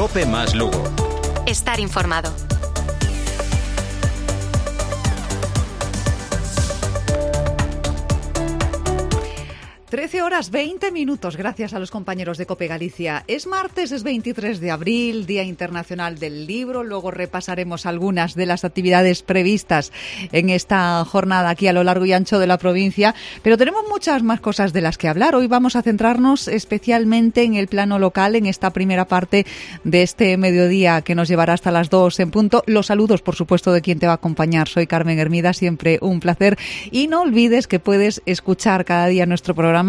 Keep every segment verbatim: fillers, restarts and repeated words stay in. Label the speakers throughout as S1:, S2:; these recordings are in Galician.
S1: Cope más Lugo.
S2: Estar informado.
S3: trece horas veinte minutos, gracias a los compañeros de COPE Galicia. Es martes, es veintitrés de abril, Día Internacional del Libro. Luego repasaremos algunas de las actividades previstas en esta jornada aquí a lo largo y ancho de la provincia. Pero tenemos muchas más cosas de las que hablar. Hoy vamos a centrarnos especialmente en el plano local, en esta primera parte de este mediodía que nos llevará hasta las dos en punto. Los saludos, por supuesto, de quien te va a acompañar. Soy Carmen Hermida, siempre un placer. Y no olvides que puedes escuchar cada día nuestro programa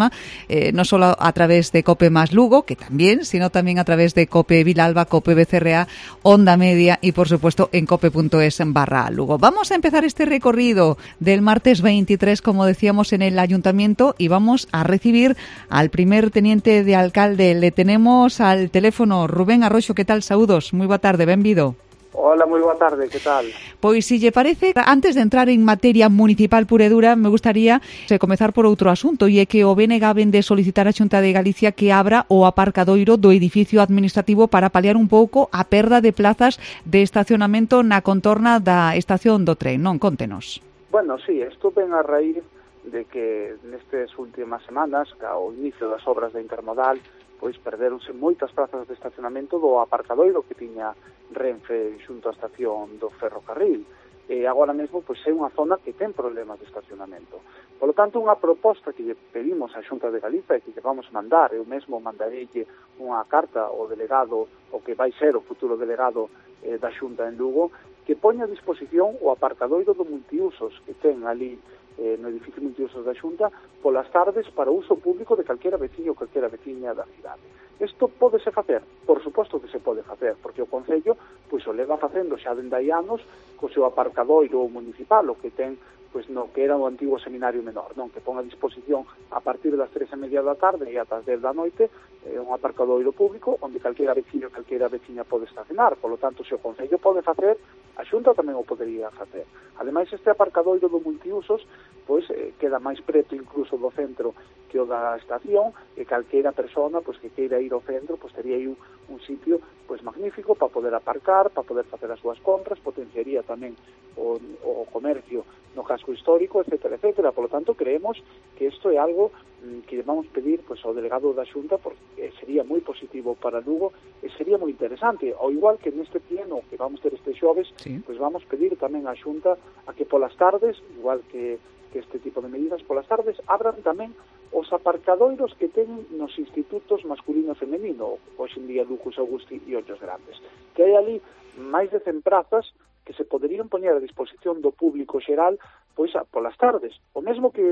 S3: Eh, no solo a través de COPE más Lugo, que también, sino también a través de COPE Vilalba, COPE B C R A, Onda Media y, por supuesto, en cope.es barra Lugo. Vamos a empezar este recorrido del martes veintitrés, como decíamos, en el Ayuntamiento, y vamos a recibir al primer teniente de alcalde. Le tenemos al teléfono. Rubén Arroxo, ¿qué tal? Saúdos, moi boa tarde, benvido.
S4: Hola, moi boa tarde, que tal?
S3: Pois, si lle parece, antes de entrar en materia municipal pura e dura, me gustaría comezar por outro asunto, e é que o B N G vende solicitar a Xunta de Galicia que abra o aparcadoiro do edificio administrativo para paliar un pouco a perda de plazas de estacionamento na contorna da estación do tren, non? Contenos.
S4: Bueno, sí, isto ven a raíz de que nestes últimas semanas, ao inicio das obras da Intermodal, pois perderonse moitas plazas de estacionamento do aparcadoiro que tiña Renfe xunto á estación do ferrocarril. E agora mesmo pois é unha zona que ten problemas de estacionamento. Por lo tanto, unha proposta que lle pedimos á Xunta de Galicia e que lle vamos mandar, eu mesmo mandarelle unha carta ao delegado, o que vai ser o futuro delegado eh, da Xunta en Lugo, que poña a disposición o aparcadoiro do multiusos que ten ali eh, no edificio multiusos da Xunta polas tardes para uso público de calquera veciño ou calquera veciña da cidade. Isto pódese facer? Por suposto que se pode facer, porque o Concello pois o leva facendo xa dende hai anos co seu aparcadoiro municipal, o que ten pois no que era o antigo seminario menor, non, que pon a disposición a partir das tres e media da tarde e ata as dez da noite eh, un aparcadoiro público onde calquera veciño, calquera veciña pode estacionar. Por lo tanto, se o Concello pode facer, a Xunta tamén o podería facer. Ademais, este aparcadoiro do multiusos pois eh, queda máis preto incluso do centro que o da estación, e calquera persona pois que queira ir ao centro pois tería aí un, un sitio pois magnífico para poder aparcar, para poder facer as súas compras, potenciaría tamén o, o comercio no casco histórico, etcétera, etcétera. Por lo tanto, creemos que isto é algo mm, que vamos pedir pois ao delegado da Xunta, porque sería moi positivo para Lugo e sería moi interesante. Ao igual que neste pleno que vamos ter este xoves, sí, pois vamos pedir tamén á Xunta a que polas tardes, igual que, que este tipo de medidas, polas tardes abran tamén os aparcadoiros que teñen nos institutos masculino e femenino, hoxe en día Lucas Augusti e Ollos Grandes, que hai ali máis de cen prazas que se poderían poñer a disposición do público xeral pois a, polas tardes. O mesmo que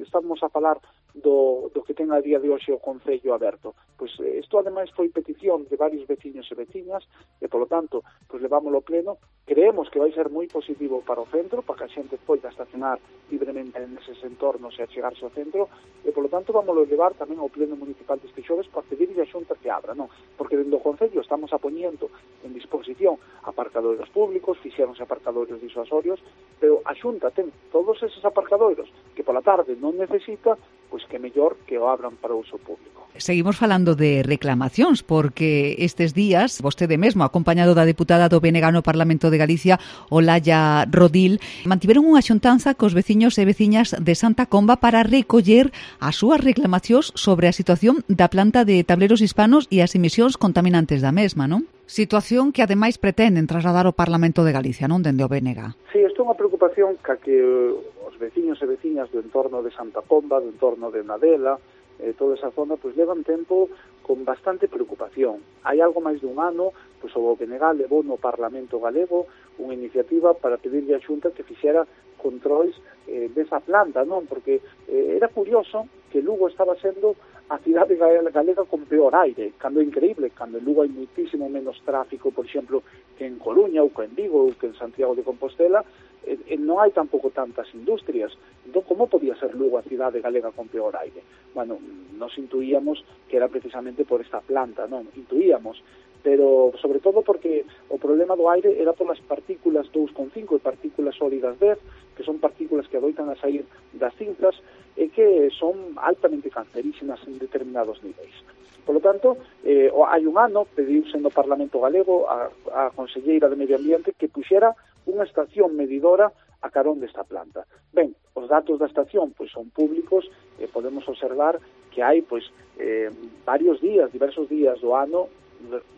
S4: estamos a falar do, do que ten a día de hoxe o Concello aberto. Pois isto ademais foi petición de varios veciños e veciñas e, polo tanto, pois levámoslo pleno. Creemos que vai ser moi positivo para o centro, para que a xente poida estacionar libremente neses entornos e achegarse ao centro, e, polo tanto, vámoslo levar tamén ao pleno municipal deste xoves para pedirlle a Xunta que abra, non? Porque dentro do Concello estamos apoñendo en disposición aparcadoiros públicos, fixéronse aparcadoiros disuasorios, pero a Xunta ten todos eses aparcadoiros que pola tarde non necesita, pois que mellor que o abran para uso público.
S3: Seguimos falando de reclamacións, porque estes días, vostede mesmo, acompañado da deputada do B N G no Parlamento de Galicia, Olalla Rodil, mantiveron unha xuntanza cos veciños e veciñas de Santa Comba para recoller as súas reclamacións sobre a situación da planta de tableros hispanos e as emisións contaminantes da mesma, non? Situación que, ademais, pretenden trasladar ao Parlamento de Galicia, non, dende o B N G.
S4: Sí, isto é unha preocupación ca que os veciños e veciñas do entorno de Santa Comba, do entorno de Nadela, eh, toda esa zona, pois levan tempo con bastante preocupación. Hai algo máis dun ano, pois o B N G levou no Parlamento Galego unha iniciativa para pedirlle a Xunta que fixera controis eh, desa planta, non? Porque eh, era curioso que Lugo estaba sendo a cidade galega con peor aire, cando é increíble, cando en Lugo hai muitísimo menos tráfico, por exemplo, que en Coruña ou que en Vigo ou que en Santiago de Compostela, e, e non hai tampouco tantas industrias. Entón, como podía ser Lugo a cidade galega con peor aire? Bueno, nos intuíamos que era precisamente por esta planta, non? Intuíamos, pero sobre todo porque o problema do aire era polas partículas dous coma cinco e partículas sólidas dez, que son partículas que adoitan a sair das cinzas e que son altamente cancerígenas en determinados niveis. Por lo tanto, eh, hai un ano pediuse no Parlamento Galego a, a Conselleira de Medio Ambiente que puxera unha estación medidora a carón desta planta. Ben, os datos da estación pois son públicos e podemos observar que hai pois eh, varios días, diversos días do ano,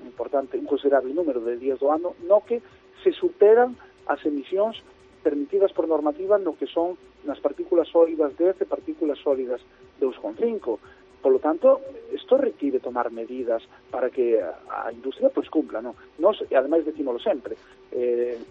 S4: importante, un considerable número de días do ano, no que se superan as emisións permitidas por normativa no que son nas partículas sólidas dez e partículas sólidas dous coma cinco. Por lo tanto, isto requiere tomar medidas para que a industria pues cumpla, ¿no? Nos, e ademais decímolo sempre, eh,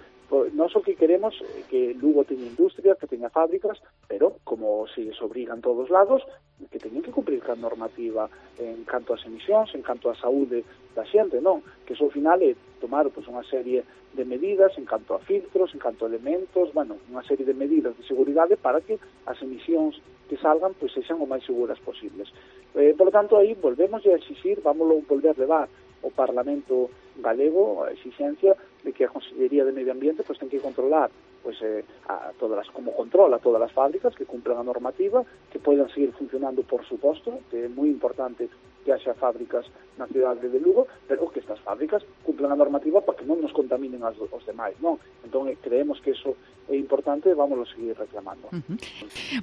S4: nós o que queremos é que Lugo teña industria, que teña fábricas, pero como se les obriga en todos lados, que teñen que cumprir ca normativa en canto ás emisións, en canto á saúde da xente, non? Que iso ao final é tomar pues, unha serie de medidas en canto a filtros, en canto a elementos, bueno, unha serie de medidas de seguridade para que as emisións que salgan pues, sexan o máis seguras posibles. Eh, por lo tanto, aí volvemos a exixir, vámoslo volver a levar o Parlamento Galego a exixencia de que a Consellería de Medio Ambiente pues, ten que controlar pues, eh, a todas las, como controla a todas as fábricas que cumplan a normativa, que poidan seguir funcionando, por suposto, que é moi importante que haxa fábricas na cidade de Lugo, pero que estas fábricas cumplan a normativa para que non nos contaminen as, os demais, non? Entón, creemos que eso é importante e vámoslo seguir reclamando.
S3: Uh-huh.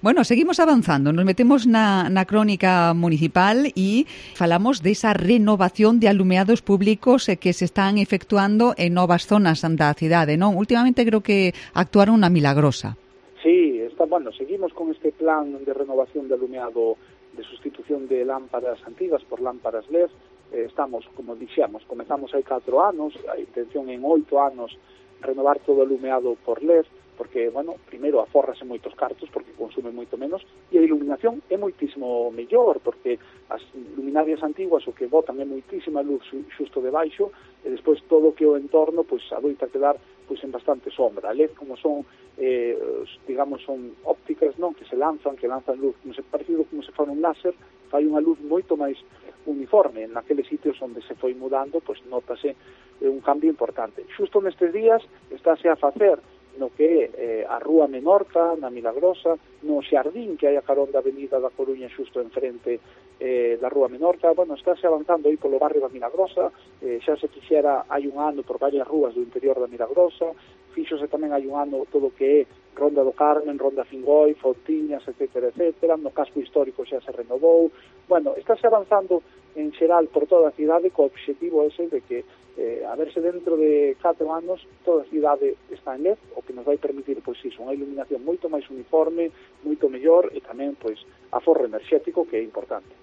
S3: Bueno, seguimos avanzando, nos metemos na, na crónica municipal e falamos desa renovación de alumeados públicos que se están efectuando en novas zonas da cidade, non? Últimamente creo que actuaron na Milagrosa.
S4: Sí, está, bueno, seguimos con este plan de renovación de alumeado, de sustitución de lámparas antigas por lámparas L E D. Eh, estamos, como dixemos, comezamos hai catro anos, a intención en oito anos renovar todo o alumeado por L E D, porque, bueno, primeiro afórrase moitos cartos porque consume moito menos e a iluminación é moitísimo mellor porque as luminarias antiguas o que botan é moitísima luz xusto debaixo e despois todo o que o entorno pois adoita quedar pois en bastante sombra. A L E D como son eh, digamos son ópticas, non, que se lanzan, que lanzan luz como se parecido como se fora un láser, fai unha luz moito máis uniforme. En aqueles sitios onde se foi mudando, pois notase eh, un cambio importante. Xusto nestes días estáse a facer no que é eh, a Rúa Menorca, na Milagrosa, no xardín que hai a carón da Avenida da Coruña xusto enfrente eh, da Rúa Menorca. Bueno, estáse avanzando aí polo barrio da Milagrosa, eh, xa se quixera hai un ano por varias rúas do interior da Milagrosa, fíxose tamén hai un ano todo o que é Ronda do Carmen, Ronda Fingoi, Fontiñas, etcétera, etcétera, no casco histórico xa se renovou. Bueno, estáse avanzando en xeral por toda a cidade co obxectivo ese de que eh, a verse dentro de catro anos toda a cidade está en L E D, o que nos vai permitir pois iso, unha iluminación moito máis uniforme, moito mellor e tamén pois aforro enerxético que é importante.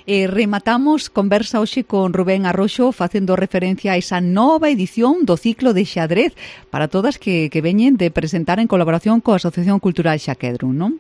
S3: E rematamos conversa hoxe con Rubén Arroxo facendo referencia a esa nova edición do ciclo de xadrez para todas que, que veñen de presentar en colaboración coa Asociación Cultural Xaquedrun, non?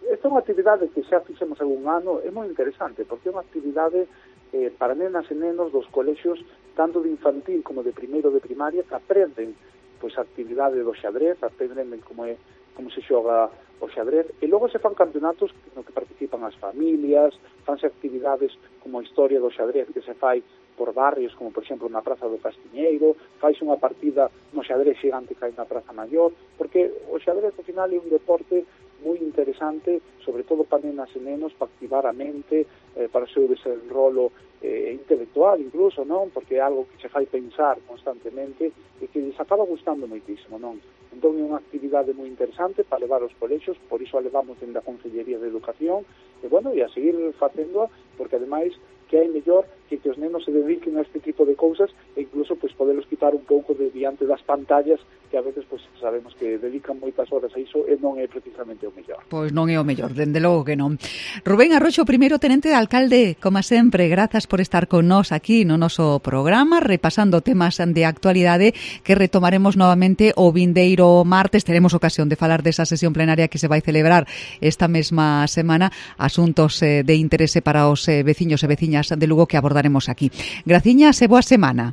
S4: Esta é unha actividade que xa fixemos algún ano, é moi interesante porque é unha actividade eh, para nenas e nenos dos colexios tanto de infantil como de primeiro de primaria que aprenden pois a actividade do xadrez, aprenden como é como se xoga o xadrez e logo se fan campeonatos no que participan as familias, fanse actividades como a historia do xadrez que se fai por barrios, como por exemplo na Praza do Castiñeiro, faise unha partida no xadrez xigante que hai na Praza Maior, porque o xadrez ao final é un deporte moi interesante, sobre todo para nenas e nenos, para activar a mente, eh, para o seu desenrolo eh, intelectual incluso, non? Porque é algo que se fai pensar constantemente e que les acaba gustando moitísimo, non? Entón é unha actividade moi interesante para levar aos colexios, por iso a levamos dende a Consellería de Educación, e bueno, e a seguir facéndoa, porque ademais que hai mellor que que os nenos se dediquen a este tipo de cousas e incluso pues, podelos quitar un pouco de diante das pantallas que a veces pues, sabemos que dedican moitas horas a iso e non é precisamente o mellor.
S3: Pois non é o mellor, dende logo que non. Rubén Arroxo, primeiro tenente de alcalde, como sempre, grazas por estar con nós aquí no noso programa, repasando temas de actualidade que retomaremos novamente o vindeiro martes. Teremos ocasión de falar desa sesión plenaria que se vai celebrar esta mesma semana, asuntos eh, de interese para os eh, veciños e veciñas de Lugo que abordaremos aquí. Graciñas e boa semana.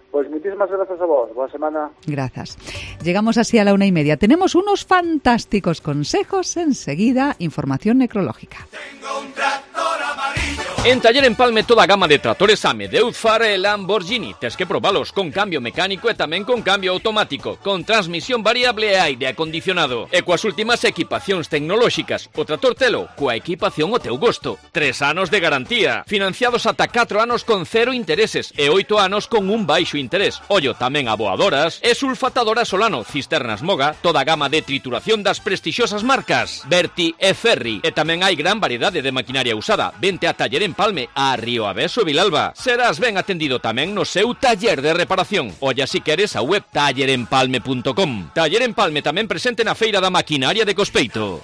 S4: Pois pues muchísimas gracias a vos. Boa semana.
S3: Gracias. Llegamos así a la una y media. Tenemos unos fantásticos consejos. Enseguida, información necrológica.
S1: Tengo un tractor amarillo. En Taller Empalme toda a gama de tractores Ame, Deutz-Fahr e Lamborghini. Tes que probalos con cambio mecánico e tamén con cambio automático, con transmisión variable e aire acondicionado. E coas últimas equipacións tecnolóxicas. O tractor telo coa equipación o teu gosto. Tres anos de garantía. Financiados ata catro anos con cero intereses e oito anos con un baixo interés. Ollo, tamén aboadoras e sulfatadoras Solano, cisternas Moga, toda a gama de trituración das prestixiosas marcas Berti e Ferri. E tamén hai gran variedade de maquinaria usada. Vente a Taller Empalme, a Río Aveso e Vilalba. Serás ben atendido tamén no seu taller de reparación. Olla si queres a web taller empalme punto com. Taller Empalme tamén presente na Feira da Maquinaria de Cospeito.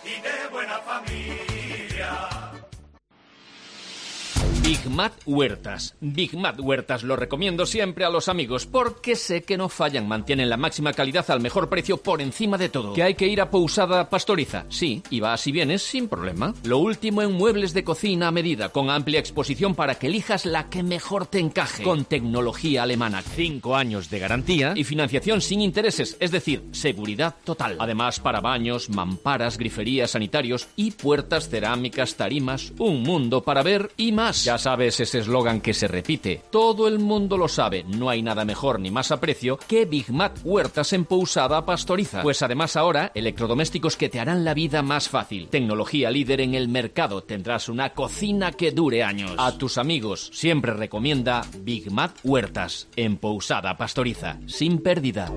S1: Big Mat Huertas. Big Mat Huertas lo recomiendo siempre a los amigos porque sé que no fallan, mantienen la máxima calidad al mejor precio por encima de todo. ¿Que hay que ir a Pousada Pastoriza? Sí, y vas y vienes sin problema. Lo último en muebles de cocina a medida, con amplia exposición para que elijas la que mejor te encaje. Con tecnología alemana, cinco años de garantía y financiación sin intereses, es decir, seguridad total. Además, para baños, mamparas, griferías, sanitarios y puertas cerámicas, tarimas, un mundo para ver y más. Ya sabes ese eslogan que se repite. Todo el mundo lo sabe. No hay nada mejor ni más a precio que Big Mat Huertas en Pousada Pastoriza. Pues además ahora, electrodomésticos que te harán la vida más fácil. Tecnología líder en el mercado. Tendrás una cocina que dure años. A tus amigos siempre recomienda Big Mat Huertas en Pousada Pastoriza. Sin pérdida.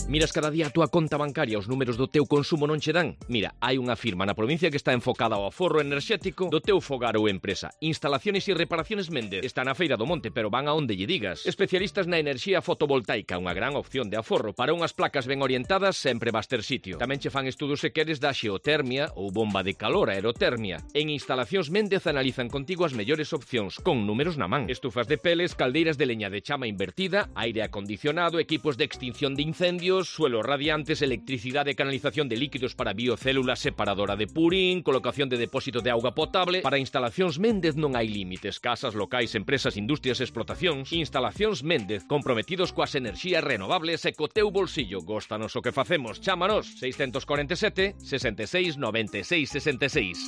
S1: Miras cada día a túa conta bancaria, os números do teu consumo non che dan? Mira, hai unha firma na provincia que está enfocada ao aforro enerxético do teu fogar ou empresa. Instalaciones e reparaciones Méndez. Está na Feira do Monte, pero van a onde lle digas. Especialistas na enerxía fotovoltaica, unha gran opción de aforro. Para unhas placas ben orientadas, sempre vas ter sitio. Tamén che fan estudos se queres da xeotermia ou bomba de calor, aerotermia. En Instalacións Méndez analizan contigo as mellores opcións, con números na man. Estufas de peles, caldeiras de leña de chama invertida, aire acondicionado, equipos de extinción de incendios, suelos radiantes, electricidade e canalización de líquidos para biocélulas, separadora de purín, colocación de depósito de auga potable. Para Instalacións Méndez non hai límites. Casas, locais, empresas, industrias, explotacións. Instalacións Méndez, comprometidos coas enerxías renovables e co teu bolsillo. Góstanos o que facemos. Chámanos seiscentos cuarenta e sete, sesenta e seis, noventa e seis, sesenta e seis.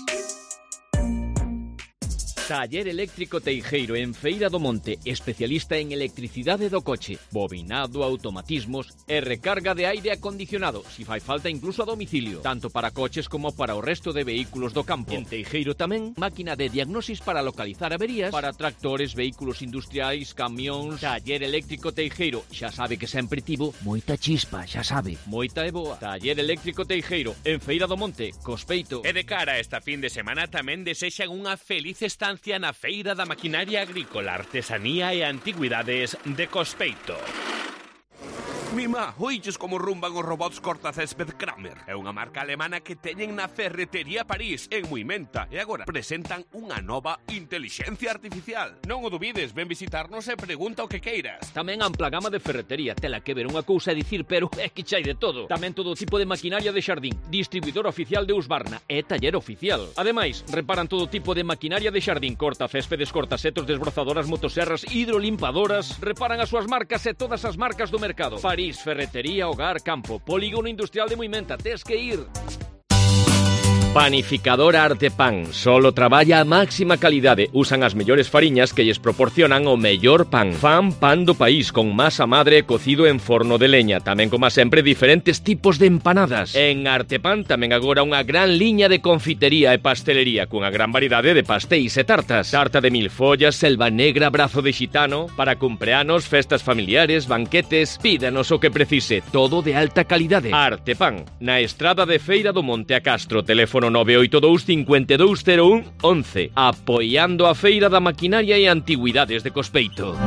S1: Taller Eléctrico Teijeiro en Feira do Monte, especialista en electricidade do coche, bobinado, automatismos e recarga de aire acondicionado, si fai falta incluso a domicilio, tanto para coches como para o resto de vehículos do campo. En Teijeiro tamén, máquina de diagnosis para localizar averías para tractores, vehículos industriais, camións. Taller Eléctrico Teijeiro, xa sabe que sempre tivo moita chispa, xa sabe, moita e boa. Taller Eléctrico Teijeiro en Feira do Monte, Cospeito.
S5: E de cara a esta fin de semana tamén desexan unha feliz estancia na Feira da Maquinaria Agrícola, Artesanía e Antigüidades de Cospeito. Mima, oiches como rumban os robots cortacésped Kramer. É unha marca alemana que teñen na Ferretería París, en Muimenta, e agora presentan unha nova intelixencia artificial. Non o dubides, ven visitarnos e pregunta o que queiras.
S1: Tamén ampla gama de ferretería, tela que ver unha cousa a dicir, pero é que chai de todo. Tamén todo tipo de maquinaria de xardín, distribuidor oficial de Husqvarna e taller oficial. Ademais, reparan todo tipo de maquinaria de xardín, cortacéspedes, cortasetos, desbrozadoras, motoserras, hidrolimpadoras. Reparan as súas marcas e todas as marcas do mercado. París, ferretería, hogar, campo, polígono industrial de Muimenta, tes que ir. Panificadora Artepan, solo traballa a máxima calidade. Usan as mellores fariñas que lles proporcionan o mellor pan. Fan pan do país con masa madre cocido en forno de leña. Tamén, como sempre, diferentes tipos de empanadas. En Artepan tamén agora unha gran liña de confitería e pastelería cunha gran variedade de pastéis e tartas. Tarta de mil follas, selva negra, brazo de xitano, para cumpleanos, festas familiares, banquetes. Pídanos o que precise, todo de alta calidade. Artepan, na estrada de Feira do Monte a Castro, teléfono nove oito dous, cinco dous cero un, once, apoiando a Feira da Maquinaria e Antigüidades de Cospeito.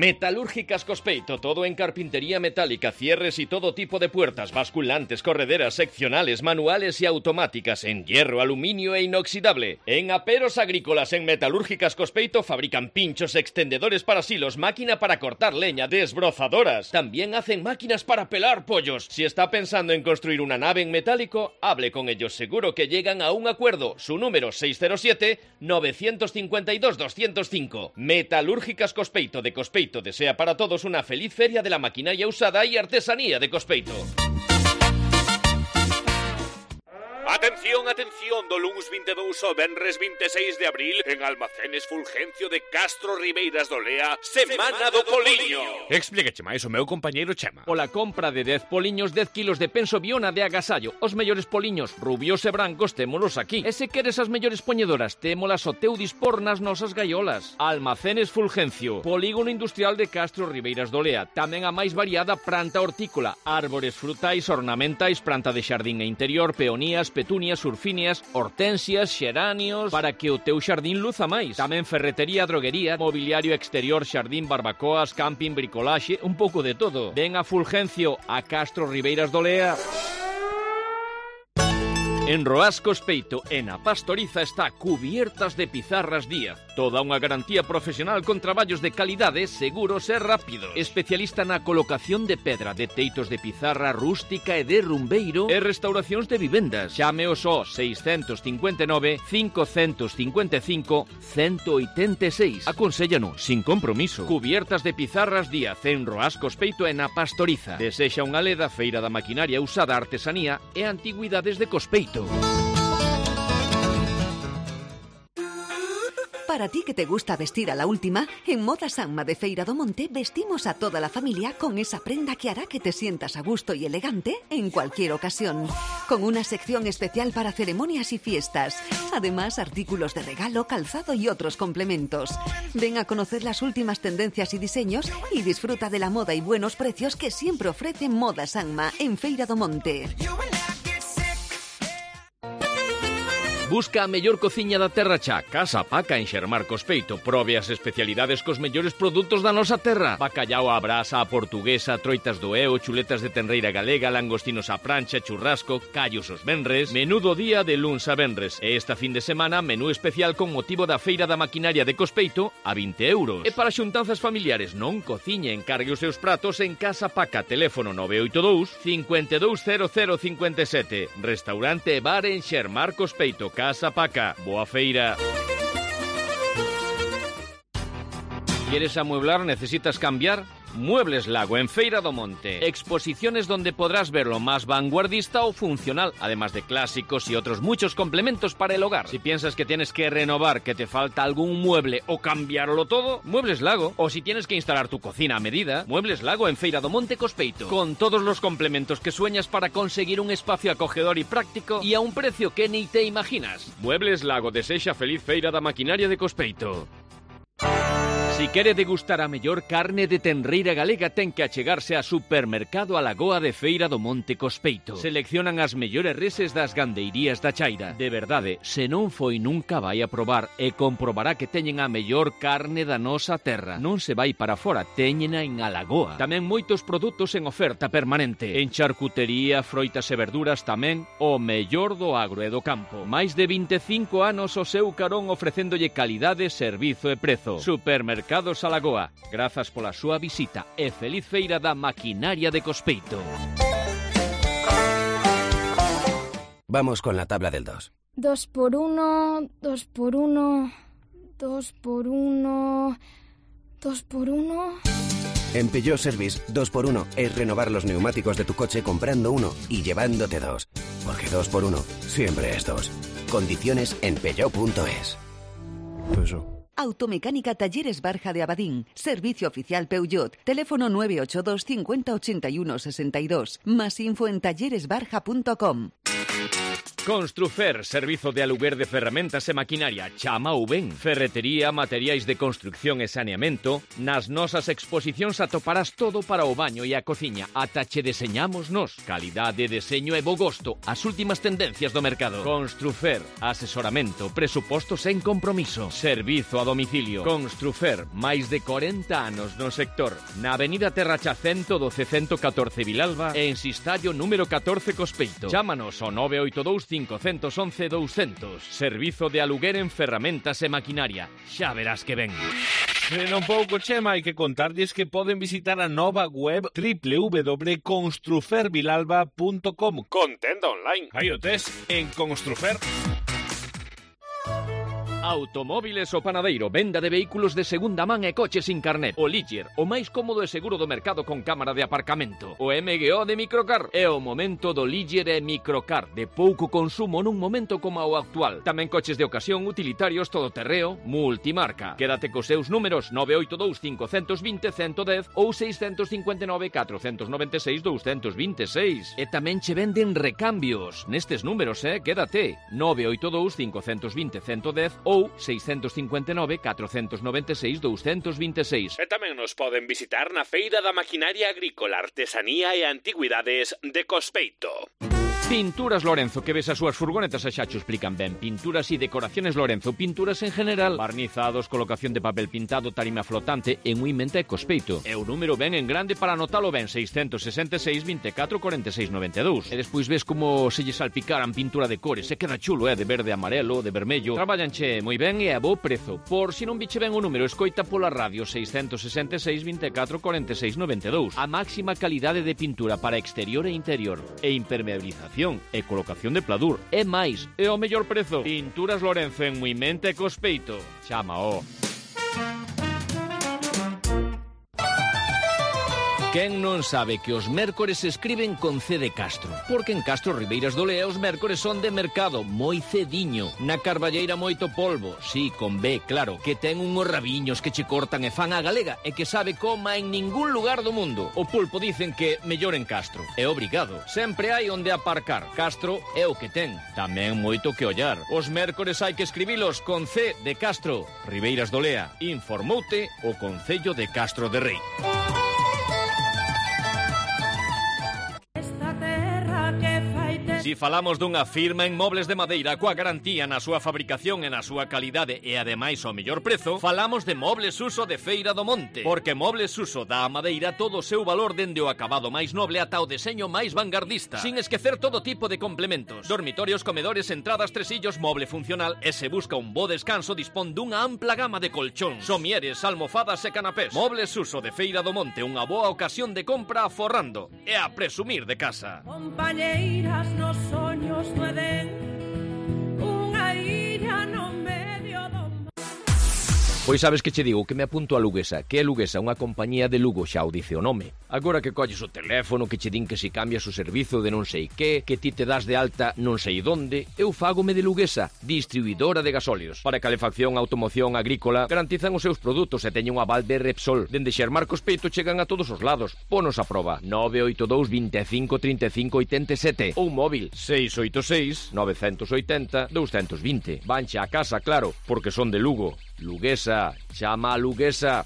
S1: Metalúrgicas Cospeito, todo en carpintería metálica, cierres y todo tipo de puertas, basculantes, correderas, seccionales, manuales y automáticas, en hierro, aluminio e inoxidable. En Aperos Agrícolas, en Metalúrgicas Cospeito, fabrican pinchos, extendedores para silos, máquina para cortar leña, desbrozadoras. También hacen máquinas para pelar pollos. Si está pensando en construir una nave en metálico, hable con ellos, seguro que llegan a un acuerdo. Su número seis cero siete, nueve cinco dos, dos cero cinco. Metalúrgicas Cospeito de Cospeito desea para todos una feliz feria de la maquinaria usada y artesanía de Cospeito.
S5: Atención, atención, do luns vinte e dous ao venres vinte e seis de abril en Almacenes Fulgencio de Castro Ribeiras do Lea, Semana do Poliño. Explíqueche máis o meu compañeiro Chema.
S1: Pola compra de dez poliños, dez kilos de penso Biona de agasallo. Os mellores poliños rubios e brancos témolos aquí. E se queres as mellores poñedoras, témolas ao teu dispor nas nosas gaiolas. Almacenes Fulgencio, Polígono Industrial de Castro Ribeiras do Lea. Tamén a máis variada planta hortícola, árbores frutais, ornamentais, planta de xardín e interior, peonías, petunias, surfíneas, hortensias, xeranios, para que o teu xardín luza máis. Tamén ferretería, droguería, mobiliario exterior, xardín, barbacoas, camping, bricolaxe, un pouco de todo. Ven a Fulgencio, a Castro Ribeiras do Lea. En Roas Cospeito e na Pastoriza está Cubiertas de Pizarras Díaz. Toda unha garantía profesional con traballos de calidade, seguros e rápidos. Especialista na colocación de pedra, de teitos de pizarra rústica e de rumbeiro e restauracións de vivendas. Chámeos ao seiscentos cincuenta e nove, cincocentos cincuenta e cinco, ciento oitenta e seis. Aconséllanos sin compromiso. Cubiertas de Pizarras Díaz en Roas Cospeito e na Pastoriza. Desexa unha leda feira da maquinaria usada, artesanía e antigüidades de Cospeito.
S6: Para ti que te gusta vestir a la última, en Moda Sanma de Feira do Monte vestimos a toda la familia con esa prenda que hará que te sientas a gusto y elegante en cualquier ocasión. Con una sección especial para ceremonias y fiestas. Además, artículos de regalo, calzado y otros complementos. Ven a conocer las últimas tendencias y diseños y disfruta de la moda y buenos precios que siempre ofrece Moda Sanma en Feira do Monte.
S1: Busca a mellor cociña da terra xa. Casa Paca en Xermar Cospeito. Probe as especialidades cos mellores produtos da nosa terra. Bacallao á brasa, a portuguesa, troitas do eo, chuletas de tenreira galega, langostinos á prancha, churrasco, callos os venres. Menú do día de luns a venres. E esta fin de semana, menú especial con motivo da Feira da Maquinaria de Cospeito a vinte euros. E para xuntanzas familiares non cociña, encargue os seus pratos en Casa Paca. Teléfono nove oito dous, cinco dous cero cero cinco sete. Restaurante e bar en Xermar Cospeito. Casa Paca, boa feira. ¿Quieres amueblar? ¿Necesitas cambiar? Muebles Lago en Feira do Monte. Exposiciones donde podrás ver lo más vanguardista o funcional, además de clásicos y otros muchos complementos para el hogar. Si piensas que tienes que renovar, que te falta algún mueble o cambiarlo todo, Muebles Lago. O si tienes que instalar tu cocina a medida, Muebles Lago en Feira do Monte Cospeito. Con todos los complementos que sueñas para conseguir un espacio acogedor y práctico y a un precio que ni te imaginas. Muebles Lago desexa feliz Feira da Maquinaria de Cospeito. Si quere degustar a mellor carne de tenreira galega, ten que achegarse a Supermercado A Lagoa de Feira do Monte Cospeito. Seleccionan as mellores reses das gandeirías da Chaira. De verdade, se non foi nunca vai a probar e comprobará que teñen a mellor carne da nosa terra. Non se vai para fora, teñena en A Lagoa. Tamén moitos produtos en oferta permanente. En charcutería, froitas e verduras tamén, o mellor do agro e do campo. Máis de vinte e cinco anos o seu carón ofrecéndolle calidade, servizo e prezo. Supermercado Mercados A Lagoa. Grazas pola súa visita e feliz feira da maquinaria de Cospeito.
S7: Vamos con la tabla del dos.
S8: Dos por uno, dos por uno, dos por uno, dos por uno...
S7: En Peugeot Service, dos por uno es renovar los neumáticos de tu coche comprando uno y llevándote dos. Porque dos por uno siempre es dos. Condiciones en peugeot punto es.
S6: Peugeot. Automecánica Talleres Barja de Abadín. Servicio oficial Peugeot. Teléfono nueve ocho dos cincuenta ochenta y uno sesenta y dos. Más info en talleres barja punto com.
S1: Construfer, servizo de aluguer de ferramentas e maquinaria. Chama ou ben. Ferretería, materiais de construcción e saneamento. Nas nosas exposicións atoparás todo para o baño e a cociña. Ata che deseñamos nos. Calidade, deseño e bo gosto. As últimas tendencias do mercado. Construfer, asesoramento, presupostos en compromiso. Servizo a domicilio. Construfer, máis de corenta anos no sector. Na avenida Terracha ciento doce ciento catorce Vilalba e en Sistallo número catorce Cospeito. Chámanos ao nove oito dous cinco uno uno uno doscientos. Servizo de aluguer en ferramentas e maquinaria. Xa verás que ven.
S5: En un pouco, Chema, hai que contarlles que poden visitar a nova web doble u doble u doble u punto construfer vilalba punto com con tenda online. Aí o tes en Construfer.
S1: Automóviles O Panadeiro, venda de vehículos de segunda man e coches sin carnet. O Ligier, o máis cómodo e seguro do mercado con cámara de aparcamento. O M G O de Microcar. É o momento do Ligier e Microcar, de pouco consumo nun momento como o actual. Tamén coches de ocasión, utilitarios, todoterreo, multimarca. Quédate cos seus números nove oito dous cinco dos cero, uno uno cero ou seis cinco nove, catro nove seis, dous dos seis. E tamén che venden recambios. Nestes números, eh, quédate. nove oito dous cinco dos cero, uno uno cero ou seis cinco nove, catro nove seis, dous dos seis.
S5: E tamén nos poden visitar na Feira da Maquinaria Agrícola, Artesanía e Antigüidades de Cospeito.
S1: Pinturas Lorenzo, que ves as súas furgonetas e xa te explican ben. Pinturas e decoraciones Lorenzo, pinturas en general, barnizados, colocación de papel pintado, tarima flotante, en Uimenta e Cospeito. E o número ben en grande para anotalo ben, seis seis seis, veinticuatro, cuarenta y seis, noventa y dos. E despois ves como se lle salpicaran pintura de cores, se queda chulo, eh, de verde, amarelo, de vermello. Traballanche moi ben e a bo prezo. Por si non biche ben o número, escoita pola radio seis seis seis, veinticuatro, cuarenta y seis, noventa y dos. A máxima calidade de pintura para exterior e interior e impermeabilización e colocación de pladur. E máis, é o mellor prezo. Pinturas Lorenzo en Muimente e Cospeito. Chámao. Quen non sabe que os mércores se escriben con C de Castro? Porque en Castro Ribeiras do Lea os mércores son de mercado, moi cediño. Na Carballeira moito polvo, sí, con B, claro, que ten unhos rabiños que che cortan e fan a galega e que sabe coma en ningún lugar do mundo. O pulpo dicen que mellor en Castro. É obrigado. Sempre hai onde aparcar. Castro é o que ten. Tamén moito que ollar. Os mércores hai que escribilos con C de Castro. Ribeiras do Lea. Informoute o Concello de Castro de Rei. Si falamos dunha firma en mobles de madeira coa garantía na súa fabricación e na súa calidade e ademais ao mellor prezo, falamos de Mobles Uso de Feira do Monte, porque Mobles Uso dá a madeira todo o seu valor dende o acabado máis noble ata o deseño máis vanguardista, sin esquecer todo tipo de complementos, dormitorios, comedores, entradas, tresillos, moble funcional e se busca un bo descanso dispón dunha ampla gama de colchóns, somieres, almofadas e canapés. Mobles Uso de Feira do Monte, unha boa ocasión de compra aforrando e a presumir de casa.
S9: Compañeiras nos soños do Edén, unha illa no medio do...
S1: Pois sabes que che digo, que me apunto a Luguesa, que é Luguesa, unha compañía de Lugo, xa o dice o nome. Agora que colles o teléfono, que che din que si cambias o servizo de non sei que, que ti te das de alta non sei donde, eu fágome de Luguesa, distribuidora de gasóleos. Para calefacción, automoción, agrícola, garantizan os seus produtos e teñen un aval de Repsol. Dende Xermar Cospeito chegan a todos os lados. Ponos a proba. nove oito dous, veinticinco, treinta y cinco, oitenta y sete ou móvil seis oito seis, nove oito zero, dous dos cero. Vanche a casa, claro, porque son de Lugo. Luguesa, chama a Luguesa.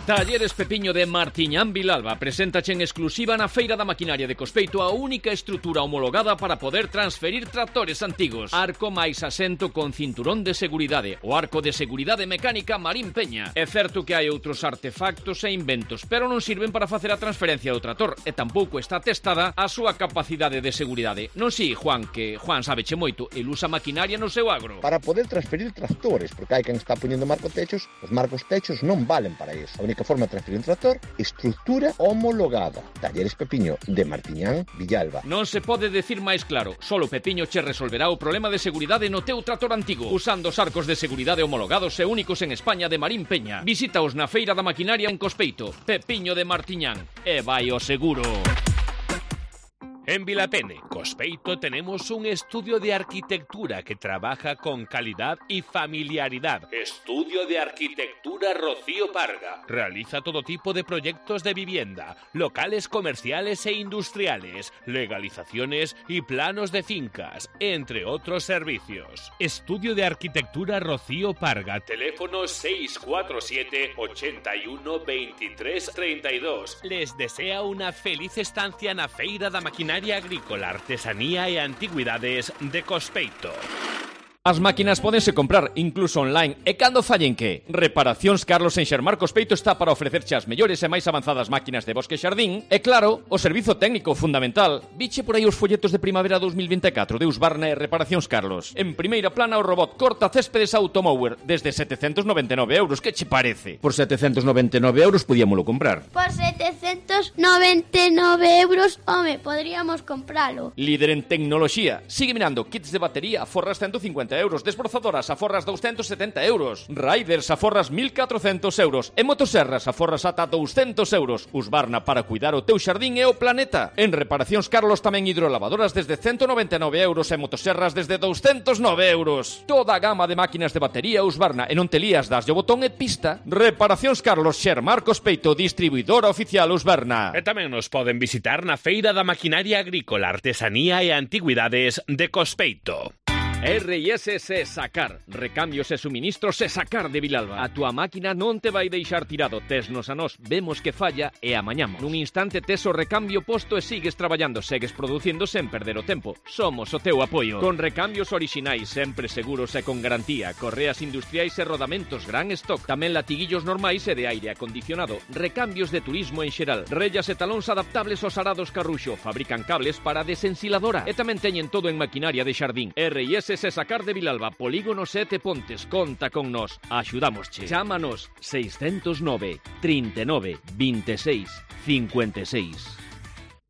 S1: Talleres Pepiño de Martiñán Vilalba preséntache en exclusiva na Feira da Maquinaria de Cospeito a única estrutura homologada para poder transferir tractores antigos. Arco máis asento con cinturón de seguridade, o arco de seguridade mecánica Marín Peña. É certo que hai outros artefactos e inventos, pero non sirven para facer a transferencia do trator e tampouco está testada a súa capacidade de seguridade. Non si, Juan, que Juan sabeche moito, el usa maquinaria no seu agro.
S10: Para poder transferir tractores, porque hai quen está poñendo marcotechos, os marcotechos non valen para iso. A única forma de transferir un tractor, estrutura homologada. Talleres Pepiño de Martiñán Villalba.
S1: Non se pode decir máis claro, solo Pepiño che resolverá o problema de seguridade no teu trator antigo, usando os arcos de seguridade homologados e únicos en España de Marín Peña. Visítaos na Feira da Maquinaria en Cospeito. Pepiño de Martiñán. E vai o seguro.
S5: En Vilapene, Cospeito, tenemos un estudio de arquitectura que trabaja con calidad y familiaridad. Estudio de Arquitectura Rocío Parga. Realiza todo tipo de proyectos de vivienda, locales comerciales e industriales, legalizaciones y planos de fincas, entre otros servicios. Estudio de Arquitectura Rocío Parga. Teléfono seis cuatro siete, ochenta y uno, veintitrés, treinta y dos. Les desea una feliz estancia na Feira da Maquinaria Agrícola, Artesanía e Antigüidades de Cospeito.
S1: As máquinas pódense comprar incluso online e cando fallen que? Reparacións Carlos en Xermarcos Peito está para ofrecerche as mellores e máis avanzadas máquinas de bosque e xardín e claro, o servizo técnico fundamental. Viche por aí os folletos de primavera dos mil vinte e catro de Husqvarna e Reparacións Carlos. En primeira plana o robot corta céspedes Automower desde setecentos noventa e nove euros. Que che parece? Por setecentos noventa e nove euros podíamolo comprar.
S11: Por setecentos noventa e nove euros, home, podríamos compralo.
S1: Líder en tecnoloxía. Sigue mirando kits de batería a forras ciento cincuenta euros, desbrozadoras a forras doscientos setenta euros, riders a forras mil catrocentos euros e motoserras a forras ata doscientos euros. Husqvarna para cuidar o teu xardín e o planeta. En Reparacións Carlos tamén hidrolavadoras desde ciento noventa e nove euros e motoserras desde doscientos nove euros. Toda a gama de máquinas de batería Husqvarna e non te lías das o botón e pista. Reparacións Carlos, Xermarcos Peito, distribuidora oficial Husqvarna.
S5: E tamén nos poden visitar na Feira da Maquinaria Agrícola, Artesanía e Antigüidades de Cospeito.
S1: R I S S Sacar, recambios e suministros e Sacar de Vilalba. A túa máquina non te vai deixar tirado, tesnos a nós, vemos que falla e amañamos. Nun instante tes o recambio posto e sigues traballando, segues producindo sen perder o tempo. Somos o teu apoio. Con recambios orixinais, sempre seguros e con garantía, correas industriais e rodamentos, gran stock, tamén latiguillos normais e de aire acondicionado, recambios de turismo en xeral, rellas e talóns adaptables aos arados Carruxo, fabrican cables para desensiladora e tamén teñen todo en maquinaria de xardín. R I S S Sacar de Vilalba, Polígono sete Pontes, conta con nós, axudámosche. Chámanos seiscentos nove, trinta e nove, vinte e seis, cincuenta e seis.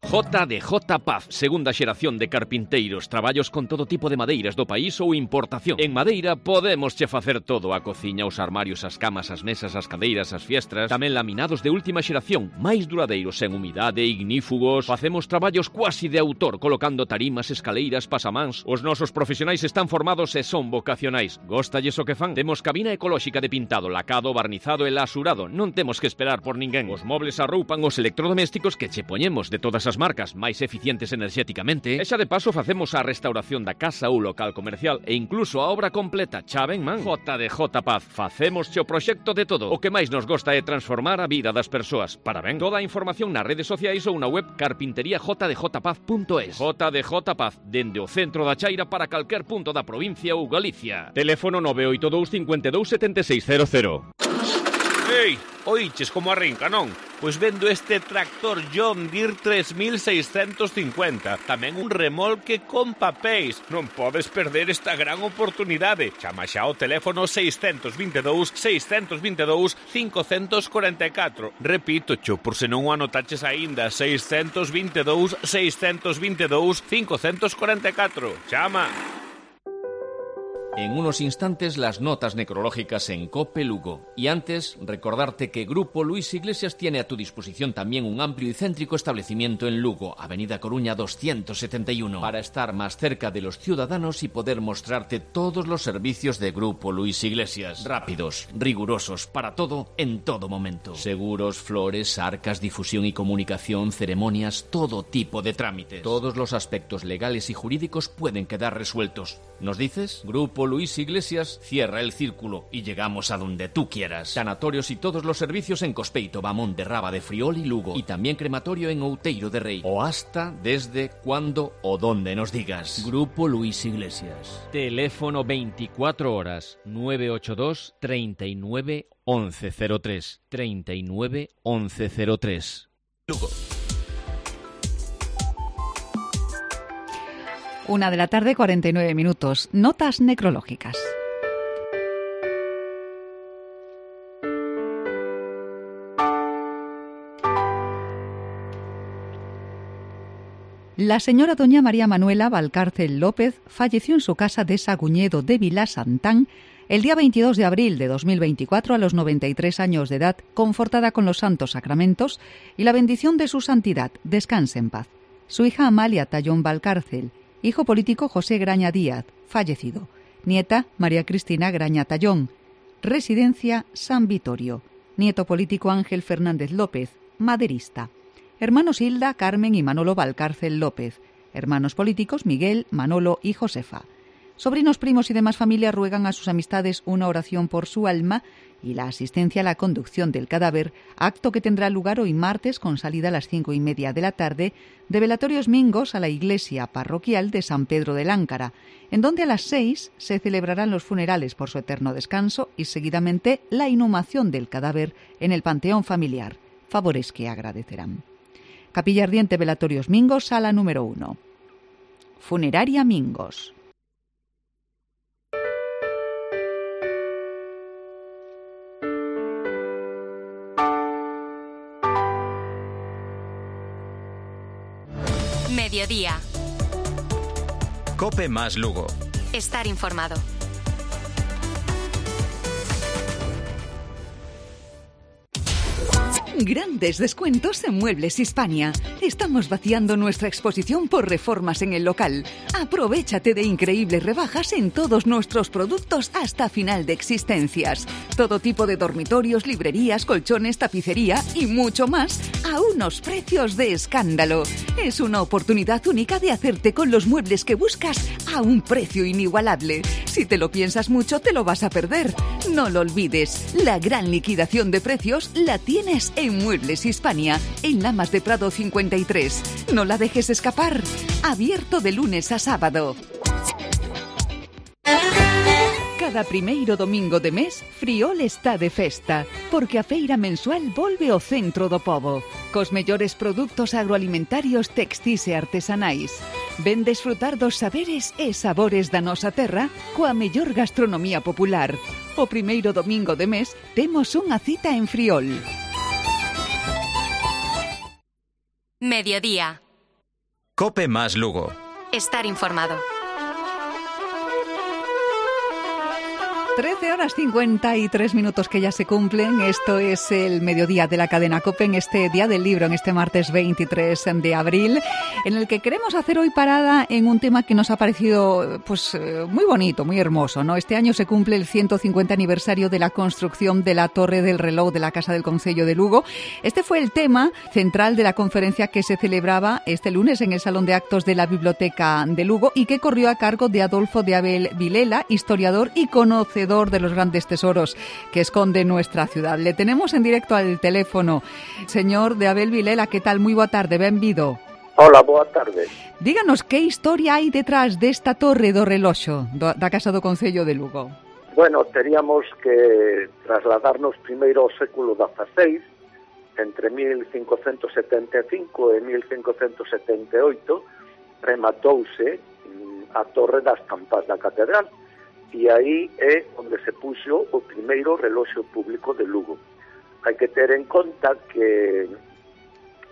S1: J D J Paz, segunda xeración de carpinteiros, traballos con todo tipo de madeiras do país ou importación. En madeira podemos che facer todo, a cociña, os armarios, as camas, as mesas, as cadeiras, as fiestras, tamén laminados de última xeración, máis duradeiros, en humidade, ignífugos. Facemos traballos cuasi de autor, colocando tarimas, escaleiras, pasamáns. Os nosos profesionais están formados e son vocacionais. Góstalles o que fan? Temos cabina ecolóxica de pintado, lacado, barnizado e lasurado. Non temos que esperar por ninguén. Os mobles arroupan os electrodomésticos que che poñemos de todas as marcas máis eficientes enerxéticamente. E xa de paso facemos a restauración da casa ou local comercial e incluso a obra completa. Xa ben, man? J D J Paz, facemos o proxecto de todo. O que máis nos gosta é transformar a vida das persoas. Para ben, toda a información nas redes sociais ou na web carpintería j d j paz punto es. J D J Paz, dende o centro da Chaira para calquer punto da provincia ou Galicia. Teléfono nove oito dous, cinco dous, sete seis cero cero.
S5: Ei, oiches como arrinca, non? Pois vendo este tractor John Deere tres mil seiscentos cincuenta, tamén un remolque con papéis. Non podes perder esta gran oportunidade. Chama xa ao teléfono seiscentos veintidós, seiscentos veintidós, cinco catro catro. Repito, cho, por se non o anotaches aínda, seiscentos veintidós, seiscentos veintidós, cinco catro catro. Chama!
S1: En unos instantes las notas necrológicas en COPE Lugo. Y antes, recordarte que Grupo Luis Iglesias tiene a tu disposición también un amplio y céntrico establecimiento en Lugo, Avenida Coruña doscientos setenta y uno, para estar más cerca de los ciudadanos y poder mostrarte todos los servicios de Grupo Luis Iglesias. Rápidos, rigurosos, para todo, en todo momento. Seguros, flores, arcas, difusión y comunicación, ceremonias, todo tipo de trámites. Todos los aspectos legales y jurídicos pueden quedar resueltos. ¿Nos dices? Grupo Luis Iglesias cierra el círculo y llegamos a donde tú quieras. Sanatorios y todos los servicios en Cospeito, Bamón de Raba de Friol y Lugo. Y también crematorio en Outeiro de Rei. O hasta, desde, cuando o donde nos digas. Grupo Luis Iglesias. Teléfono veinticuatro horas nueve ocho dos, treinta y nueve, once cero tres. treinta y nueve, once cero tres. Lugo.
S3: Una de la tarde, cuarenta y nueve minutos. Notas necrológicas. La señora doña María Manuela Valcárcel López falleció en su casa de Saguñedo de Vilasantán el día veintidós de abril de dos mil veinticuatro a los noventa y tres años de edad, confortada con los santos sacramentos y la bendición de su santidad. Descanse en paz. Su hija Amalia Tallón Valcárcel. Hijo político José Graña Díaz, fallecido. Nieta María Cristina Graña Tallón. Residencia San Vitorio. Nieto político Ángel Fernández López, maderista. Hermanos Hilda, Carmen y Manolo Valcárcel López. Hermanos políticos Miguel, Manolo y Josefa. Sobrinos, primos y demás familia ruegan a sus amistades una oración por su alma y la asistencia a la conducción del cadáver, acto que tendrá lugar hoy martes con salida a las cinco y media de la tarde de Velatorios Mingos a la iglesia parroquial de San Pedro de Láncara, en donde a las seis se celebrarán los funerales por su eterno descanso y seguidamente la inhumación del cadáver en el panteón familiar, favores que agradecerán. Capilla Ardiente Velatorios Mingos, sala número uno. Funeraria Mingos.
S2: Mediodía.
S12: Cope más Lugo.
S2: Estar informado.
S6: Grandes descuentos en Muebles Hispania. Estamos vaciando nuestra exposición por reformas en el local. Aprovéchate de increíbles rebajas en todos nuestros productos hasta final de existencias. Todo tipo de dormitorios, librerías, colchones, tapicería y mucho más a unos precios de escándalo. Es una oportunidad única de hacerte con los muebles que buscas a un precio inigualable. Si te lo piensas mucho, te lo vas a perder. No lo olvides, la gran liquidación de precios la tienes en Muebles Hispania, en Lamas de Prado cincuenta y tres. No la dejes escapar. Abierto de lunes a sábado. Cada primeiro domingo de mes, Friol está de festa, porque a feira mensual volve ao centro do pobo, cos mellores produtos agroalimentarios, textis e artesanais. Ven desfrutar dos saberes e sabores da nosa terra coa mellor gastronomía popular. O primeiro domingo de mes temos unha cita en Friol.
S2: Mediodía.
S12: Cope más Lugo.
S2: Estar informado.
S3: trece horas cincuenta y tres minutos que ya se cumplen. Esto es el mediodía de la cadena COPE en este Día del Libro, en este martes veintitrés de abril, en el que queremos hacer hoy parada en un tema que nos ha parecido pues muy bonito, muy hermoso, ¿no? Este año se cumple el ciento cincuenta aniversario de la construcción de la Torre del Reloj de la Casa del Concello de Lugo. Este fue el tema central de la conferencia que se celebraba este lunes en el Salón de Actos de la Biblioteca de Lugo y que corrió a cargo de Adolfo de Abel Vilela, historiador y conocedor de los grandes tesoros que esconde nuestra ciudad. Le tenemos en directo al teléfono. Señor de Abel Vilela, ¿qué tal? Moi boa tarde, benvido.
S13: Hola, boa tarde.
S3: Díganos, que historia hai detrás desta torre do reloxo do, da Casa do Concello de Lugo?
S13: Bueno, teríamos que trasladarnos primeiro ao século dieciséis, entre mil cincocentos setenta e cinco e mil cincocentos setenta e oito, rematouse a Torre das Campas da Catedral, e aí é onde se puxo o primeiro reloxo público de Lugo. Hai que ter en conta que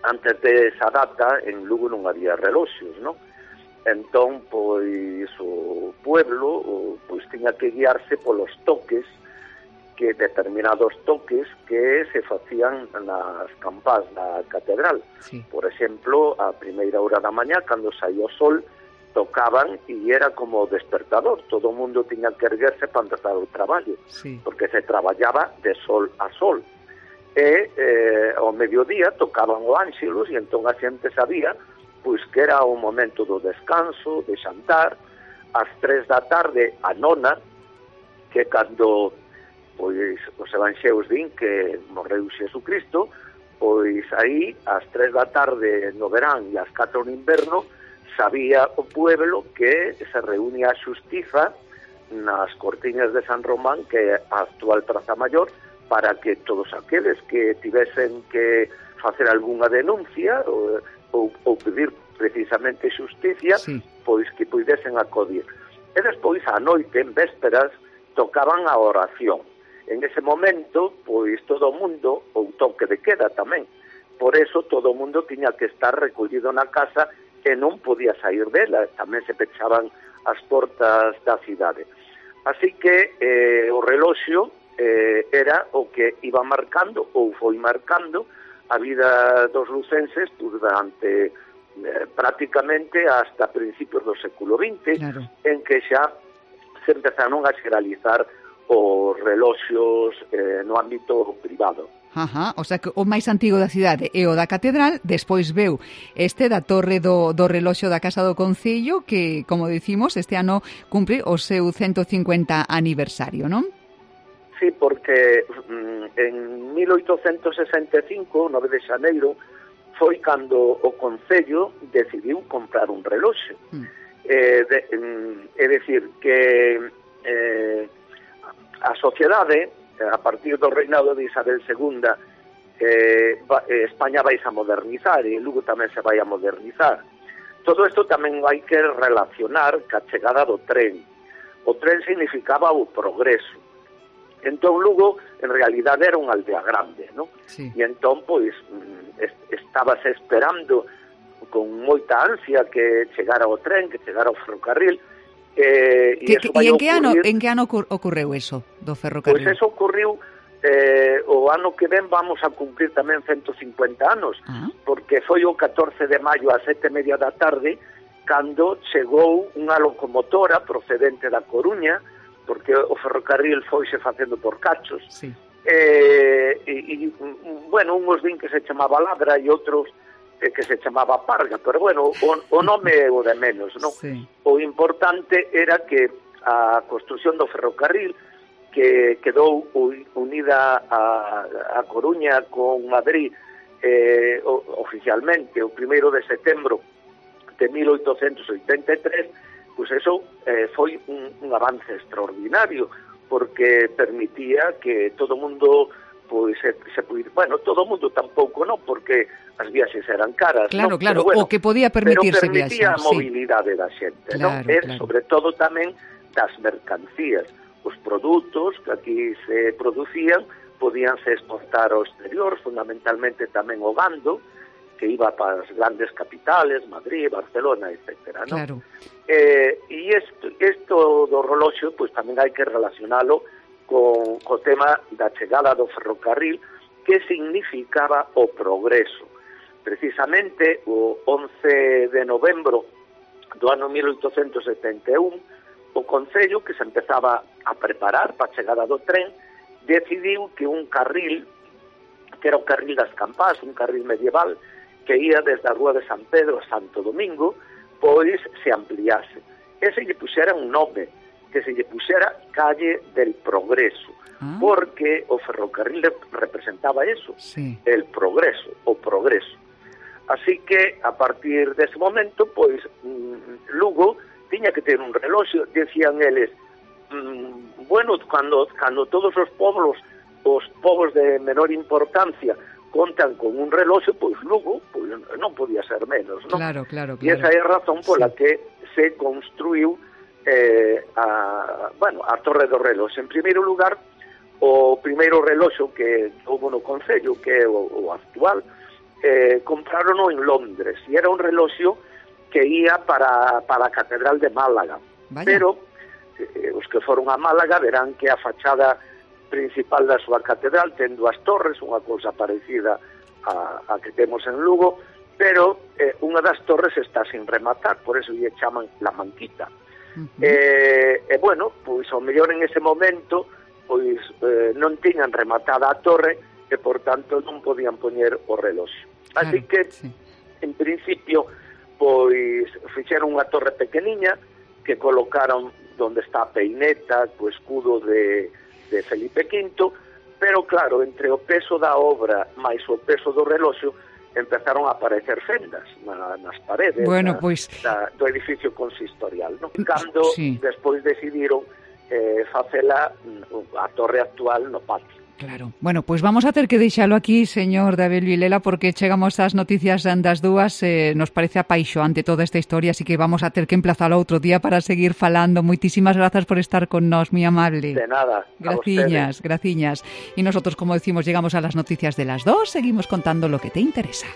S13: antes de esa data en Lugo non había reloxos, non? Entón, pois, o pueblo pois tiña que guiarse polos toques, que determinados toques que se facían nas campás da catedral. Sí. Por exemplo, a primeira hora da mañá, cando saía o sol, tocaban e era como despertador. Todo o mundo tiña que erguerse para empezar o traballo, sí, porque se traballaba de sol a sol. E eh, ao mediodía tocaban o ánxelos e entón a xente sabía pois que era o momento do descanso, de xantar. Ás tres da tarde, a nona, que cando pois os evanxeos din que morreu Xesucristo, pois aí ás tres da tarde no verán e ás catro no inverno sabía o pueblo que se reúne a xustiza nas cortiñas de San Román, que é a actual Praza Maior, para que todos aqueles que tivesen que facer algunha denuncia ou, ou, ou pedir precisamente xusticia, sí, pois que puidesen acudir. E despois, a noite, en vésperas, tocaban a oración. En ese momento, pois todo o mundo, ou toque de queda tamén, por eso todo o mundo tiña que estar recollido na casa e non podía sair dela, tamén se pechaban as portas da cidade. Así que eh, o reloxo eh, era o que iba marcando, ou foi marcando, a vida dos lucenses durante eh, prácticamente hasta principios do século vinte, claro, en que xa se empezaron a xeralizar os reloxos eh, no ámbito privado.
S3: Ajá, o sea que o máis antigo da cidade é o da Catedral, despois veu este da Torre do, do Reloxo da Casa do Concello, que, como dicimos, este ano cumpre o seu ciento cincuenta aniversario, non?
S13: Sí, porque mm, en mil oitocentos sesenta e cinco, nove de xaneiro, foi cando o Concello decidiu comprar un reloxo. Mm. Eh, de, mm, é dicir, que eh, a sociedade, a partir do reinado de Isabel segunda, eh, España vai a modernizar e Lugo tamén se vai a modernizar. Todo isto tamén hai que relacionar ca chegada do tren. O tren significaba o progreso. Entón Lugo, en realidade, era unha aldea grande, non? Sí. E entón, pois, estábase esperando con moita ansia que chegara o tren, que chegara o ferrocarril. Eh,
S3: e que, e en que ano en que ano ocorreu eso do ferrocarril?
S13: Pois eso ocorreu eh, o ano que ven vamos a cumprir tamén ciento cincuenta anos, ah. porque foi o catorce de maio a sete e media da tarde cando chegou unha locomotora procedente da Coruña, porque o ferrocarril foise facendo por cachos. Sí. Eh, e, e, bueno, uns din que se chamaba Ladra e outros que se chamaba Parga, pero bueno, o, o nome é o de menos, non? Sí. O importante era que a construción do ferrocarril, que quedou unida a, a Coruña con Madrid eh, o, oficialmente o primeiro de setembro de mil oitocentos oitenta e tres, pois eso eh, foi un, un avance extraordinario, porque permitía que todo o mundo pois se, se puid... bueno, todo o mundo tampouco non, porque as viaxes eran caras,
S3: claro,
S13: non?
S3: Claro,
S13: bueno,
S3: o que podía permitirse
S13: pero permitía
S3: viaxar,
S13: a mobilidade sí. da xente,
S3: claro,
S13: non? E
S3: claro.
S13: sobre todo tamén das mercancías, os produtos que aquí se producían podíanse exportar ao exterior, fundamentalmente tamén o gando, que iba para as grandes capitales, Madrid, Barcelona, etcétera, non? Claro. Eh, e isto, isto do reloxo, pois tamén hai que relacionalo con o tema da chegada do ferrocarril, que significaba o progreso. Precisamente o once de novembro do ano mil oitocentos setenta e un, o Concello, que se empezaba a preparar para a chegada do tren, decidiu que un carril, que era o carril das Campás, un carril medieval, que ia desde a Rúa de San Pedro a Santo Domingo, pois se ampliase. E se lle puxera un nome, que se lle puxera Calle del Progreso, ah. porque o ferrocarril representaba eso, sí. el progreso, o progreso. Así que, a partir dese momento, pois, Lugo tiña que ter un reloxo, decían eles, mmm, bueno, cando, cando todos os pobos, os povos de menor importancia, contan con un reloxo, pois Lugo pois, non podía ser menos, non?
S3: Claro, claro, claro.
S13: E esa é a razón pola sí. que se construiu Eh, a, bueno, a Torre do Reloxo. En primeiro lugar, o primeiro reloxo que houve no Concello, que é o, o actual, eh, comprarono en Londres, e era un reloxo que ia para, para a Catedral de Málaga. Vaya. Pero eh, os que foron a Málaga verán que a fachada principal da súa catedral ten dúas torres, unha cousa parecida a, a que temos en Lugo, pero eh, unha das torres está sin rematar, por eso lle chaman La Manquita. Uh -huh. eh, e bueno, pois ao mellor en ese momento pois eh, non tiñan rematada a torre e por tanto non podían poñer o reloxo. Así claro, que sí. en principio pois fixeron unha torre pequeniña que colocaron donde está a peineta, co escudo de, de Felipe quinto, pero claro, entre o peso da obra máis o peso do reloxo empezaron a aparecer fendas na, nas paredes
S3: bueno,
S13: da,
S3: pues...
S13: da, do edificio consistorial, non? Cando
S3: sí.
S13: despois decidiron eh, facela a torre actual no patio.
S3: Claro. Bueno, pois pues vamos a ter que deixalo aquí, señor David Vilela, porque chegamos ás noticias das dúas, eh, nos parece apaixoante toda esta historia, así que vamos a ter que emplazalo outro día para seguir falando. Moitísimas grazas por estar con nós, moi amable.
S13: De nada.
S3: Graciñas, graciñas. Y nosotros, como decimos, llegamos a las noticias de las dos, seguimos contando lo que te interesa.